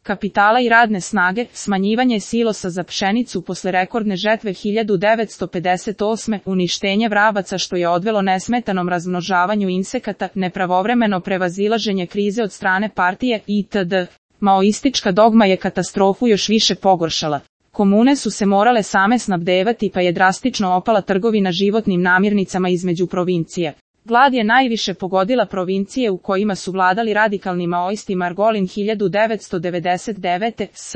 kapitala i radne snage, smanjivanje silosa za pšenicu posle rekordne žetve 1958, uništenje vrabaca što je odvelo nesmetanom razmnožavanju insekata, nepravovremeno prevazilaženje krize od strane partije itd. Maoistička dogma je katastrofu još više pogoršala. Komune su se morale same snabdevati pa je drastično opala trgovina životnim namirnicama između provincija. Glad je najviše pogodila provincije u kojima su vladali radikalni maoisti. Margolin 1999. s.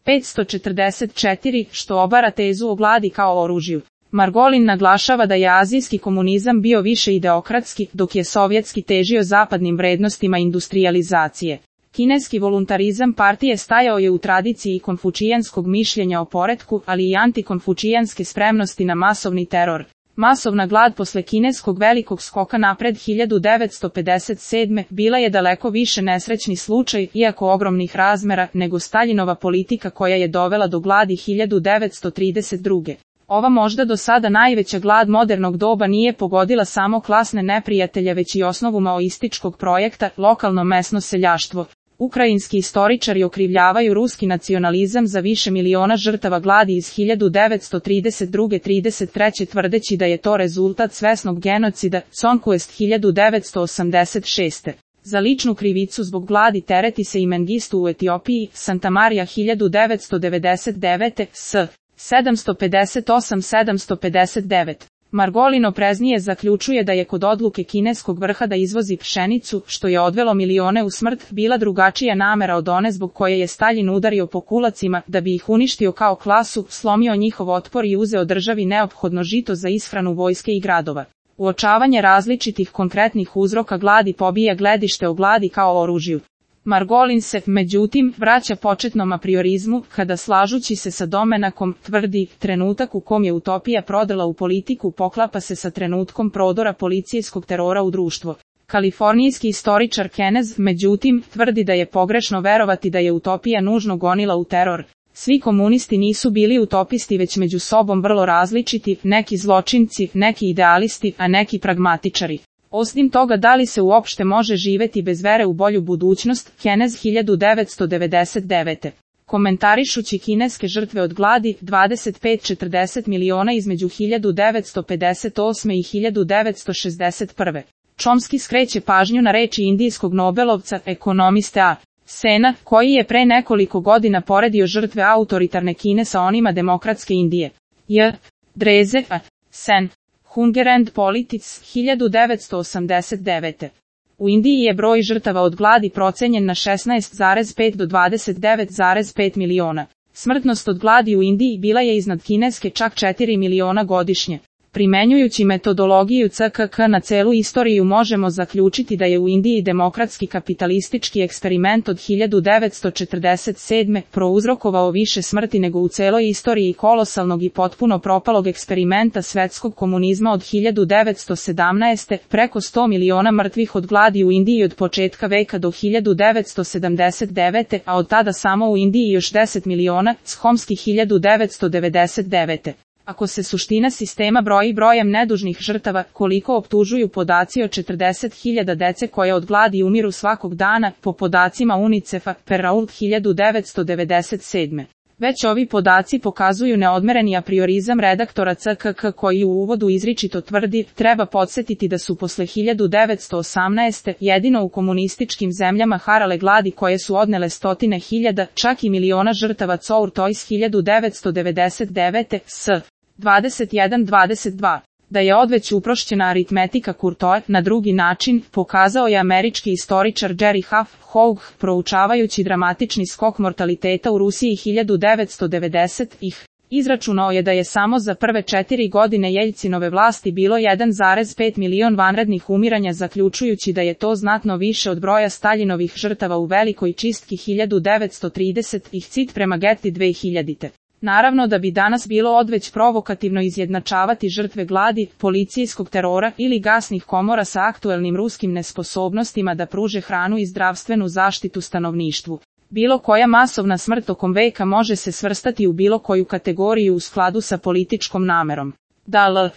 544, što obara tezu o gladi kao oružju. Margolin naglašava da je azijski komunizam bio više ideokratski, dok je sovjetski težio zapadnim vrednostima industrijalizacije. Kineski voluntarizam partije stajao je u tradiciji konfučijanskog mišljenja o poretku, ali i antikonfučijanske spremnosti na masovni teror. Masovna glad posle kineskog velikog skoka napred 1957. bila je daleko više nesrećni slučaj, iako ogromnih razmera, nego Staljinova politika koja je dovela do gladi 1932. Ova možda do sada najveća glad modernog doba nije pogodila samo klasne neprijatelje već i osnovu maoističkog projekta, lokalno mesno seljaštvo. Ukrajinski istoričari okrivljavaju ruski nacionalizam za više miliona žrtava gladi iz 1932-33 tvrdeći da je to rezultat svesnog genocida, Conquest 1986. Za ličnu krivicu zbog gladi tereti se i Mengistu u Etiopiji, Santa Maria 1999. s. 758-759. Margolin opreznije zaključuje da je kod odluke kineskog vrha da izvozi pšenicu, što je odvelo milione u smrt, bila drugačija namera od one zbog koje je Staljin udario po kulacima, da bi ih uništio kao klasu, slomio njihov otpor i uzeo državi neophodno žito za ishranu vojske i gradova. Uočavanje različitih konkretnih uzroka gladi pobija gledište o gladi kao oružju. Margolin se, međutim, vraća početnom apriorizmu, kada slažući se sa Domenakom, tvrdi, trenutak u kom je utopija prodala u politiku poklapa se sa trenutkom prodora policijskog terora u društvo. Kalifornijski istoričar Kenneth, međutim, tvrdi da je pogrešno verovati da je utopija nužno gonila u teror. Svi komunisti nisu bili utopisti već među sobom vrlo različiti, neki zločinci, neki idealisti, a neki pragmatičari. Osim toga, da li se uopšte može živeti bez vere u bolju budućnost, Kenneth 1999. Komentarišući kineske žrtve od gladi, 25-40 miliona između 1958. i 1961. Chomsky skreće pažnju na reči indijskog nobelovca, ekonomiste A. Sena, koji je pre nekoliko godina poredio žrtve autoritarne Kine sa onima demokratske Indije. J. Dreze, A. Sen. Hunger and Politics, 1989. U Indiji je broj žrtava od gladi procenjen na 16,5 do 29,5 miliona. Smrtnost od gladi u Indiji bila je iznad kineske čak 4 miliona godišnje. Primenjujući metodologiju CKK na celu istoriju možemo zaključiti da je u Indiji demokratski kapitalistički eksperiment od 1947. prouzrokovao više smrti nego u celoj istoriji kolosalnog i potpuno propalog eksperimenta svetskog komunizma od 1917. Preko 100 miliona mrtvih od gladi u Indiji od početka veka do 1979. a od tada samo u Indiji još 10 miliona, Chomsky 1999. Ako se suština sistema broji brojem nedužnih žrtava, koliko optužuju podaci o 40.000 dece koje od gladi umiru svakog dana, po podacima UNICEF-a, Perrault 1997. Već ovi podaci pokazuju neodmereni apriorizam redaktora CKK koji u uvodu izričito tvrdi, treba podsjetiti da su posle 1918. jedino u komunističkim zemljama harale gladi koje su odnele stotine hiljada, čak i miliona žrtava. Courtois 1999. s. 21-22. Da je odveć uprošćena aritmetika Courtois na drugi način, pokazao je američki istoričar Jerry Huff Hough, proučavajući dramatični skok mortaliteta u Rusiji 1990-ih. Izračunao je da je samo za prve 4 godine Jeljcinove vlasti bilo 1,5 milion vanrednih umiranja, zaključujući da je to znatno više od broja Staljinovih žrtava u velikoj čistki 1930-ih. Cit prema Getty 2000. Naravno da bi danas bilo odveć provokativno izjednačavati žrtve gladi, policijskog terora ili gasnih komora sa aktuelnim ruskim nesposobnostima da pruže hranu i zdravstvenu zaštitu stanovništvu. Bilo koja masovna smrt tokom veka može se svrstati u bilo koju kategoriju u skladu sa političkom namerom. Da L.